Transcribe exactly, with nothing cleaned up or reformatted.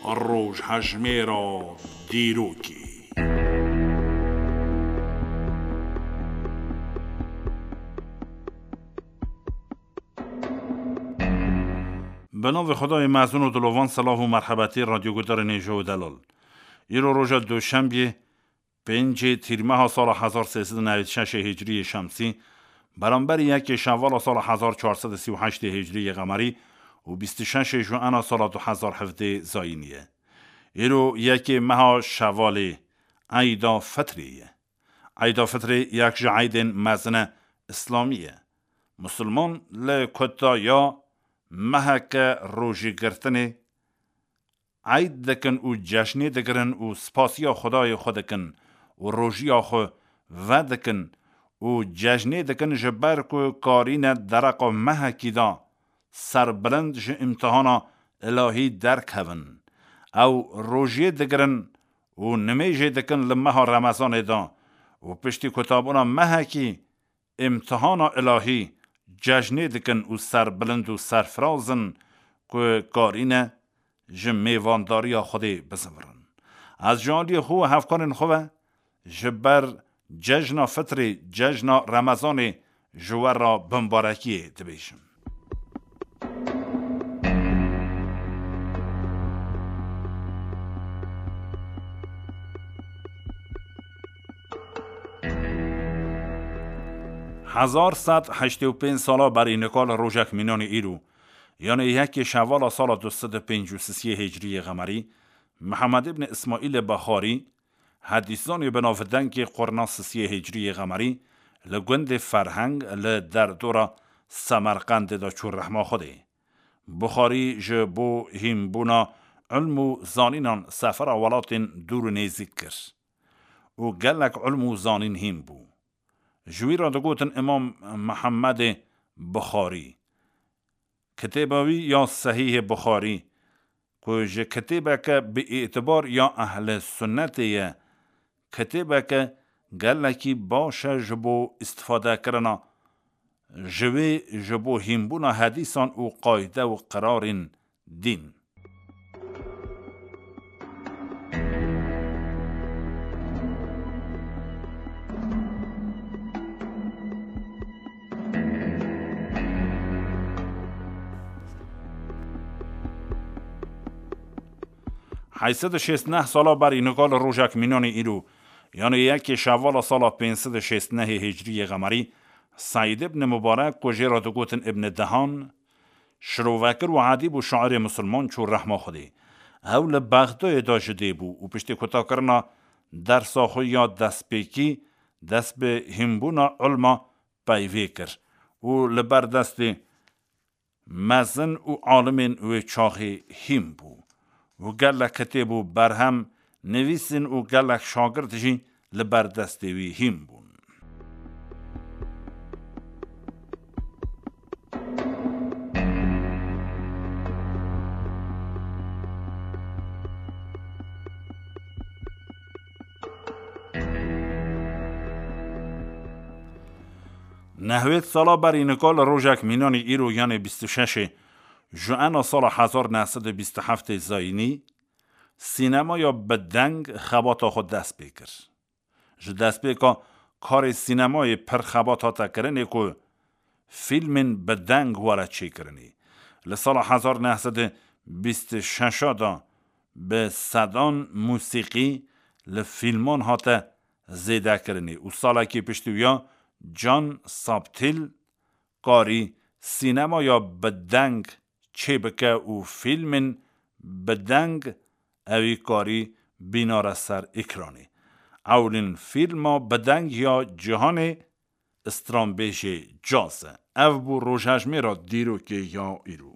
Rojhejmêra dîrokê. Bi navê Xwedayê mezin û dilovan, silav û merhebetî radyoguhdarên hêja û delal. Îro roja Duşembiyê, pêncê Tîrmeha sala hezar sê sed û newêd şeş Hicriyê Şemsî, beramberî yekê Şevala sala hezar çar sed û sî û heşt Hicriyê Qemerî û bîst û şeş Juena sala du hezar hevdeh Zayînî ye. Îro yekê meha Şevalê, Eyda Fitrê ye. Eyda Fitrê yek ji eydên mezine Îslamî ye. Musulman li kutaya meheke rojîgirtinê eyd dikin û cejnê digirin û spasiya Xwedayê xwe dikin û rojiya xwe vedikin û cejnê dikin, ji ber ku karîne dereqa mehekî de serbilind ji îmtihana îlahî derkevin. Ew rojiyê digirin û nimêjê dikin li meha Remezanê de û piştî kutabûna mehekî îmtihana îlahî cejnê dikin û serbilind û serfiraz in ku karîne ji mêvandariya Xwedê bizivirin. Ez ji aliyê xwe û hevkarên xwe ve ji ber cejna Fitrê, cejna Remezanê ji we re bimbarekiyê dibêjim. Hezar sed heştê û pênc sala berî nika li rojek mînanê îro, yanê yekê Şevala sala du sed û pêncî û sisiyê Hicriyê Qemerî, Mihemed îbn Îsmaîlê Bexarî, hedîszanê bi navdengê qurna sisiyê Hicriyê Qemerî, li gundê Ferheng li derdora Semerqendê de çû rehma Xwedê. Buxarî ji bo hînbûna ilm û zanînan sefera welatên dûr û nêzîk kir û gelek ilm û zanîn hîn bû. Ji wî re digotin Îmam Mihemedê Buxarî. Kitêba wî ya Sehîhê Buxarî, ku ji kitêbeke bi îtibar ya ehlê sunnetê ye, kitêbeke gelekî baş e ji bo îstifadekirina ji wê, ji bo hînbûna hedîsan û qayde û qirarên dîn. Heyşt sed û şêst neh sala berî nika li rojek mînanê îro, yanê yekê Şevala sala pênc sed û şêst nehê Hicriyê Qemerî, Seîd ibn Mubarek, ku jê re digotin Ibn Dehan, şirovekir û edîb û şairê misilman çû rehma Xwedê. Ew li Bexdayê de ji dê bû û piştî kutakirina dersa xwe ya destpêkî, dest bi hînbûna ilma peyvê kir û li ber destê mezin û alimên wê çaxê hîn bû û gelek kitêb û berhem nivîsîn û gelek şagirt jî li ber destê wî hîn bûn. Nehwêd sala berî nika li rojek mînanê îro, yanê bîst û şeş Juena sala hezar neh sed û bîst û heft Zayînî, sînemaya bi deng xebata xwe dest pê kir. Ji destpêka karê sînemayê pir xebat hate kirinê ku fîlmên bi deng were çêkirinê. Li sala hezar neh sed û bîst û şeş de bi sedan musîqî li fîlman hate zêdekirinê û salekî piştî wiya Can Saptil karî sînemaya bi deng çêbike û fîlmên bi deng ewî karî bînare ser ekranê. Ewlîn fîlma bi deng ya cîhanê stranbêjê caz e. Ev bû rojhejmêra dîrokê ya îro.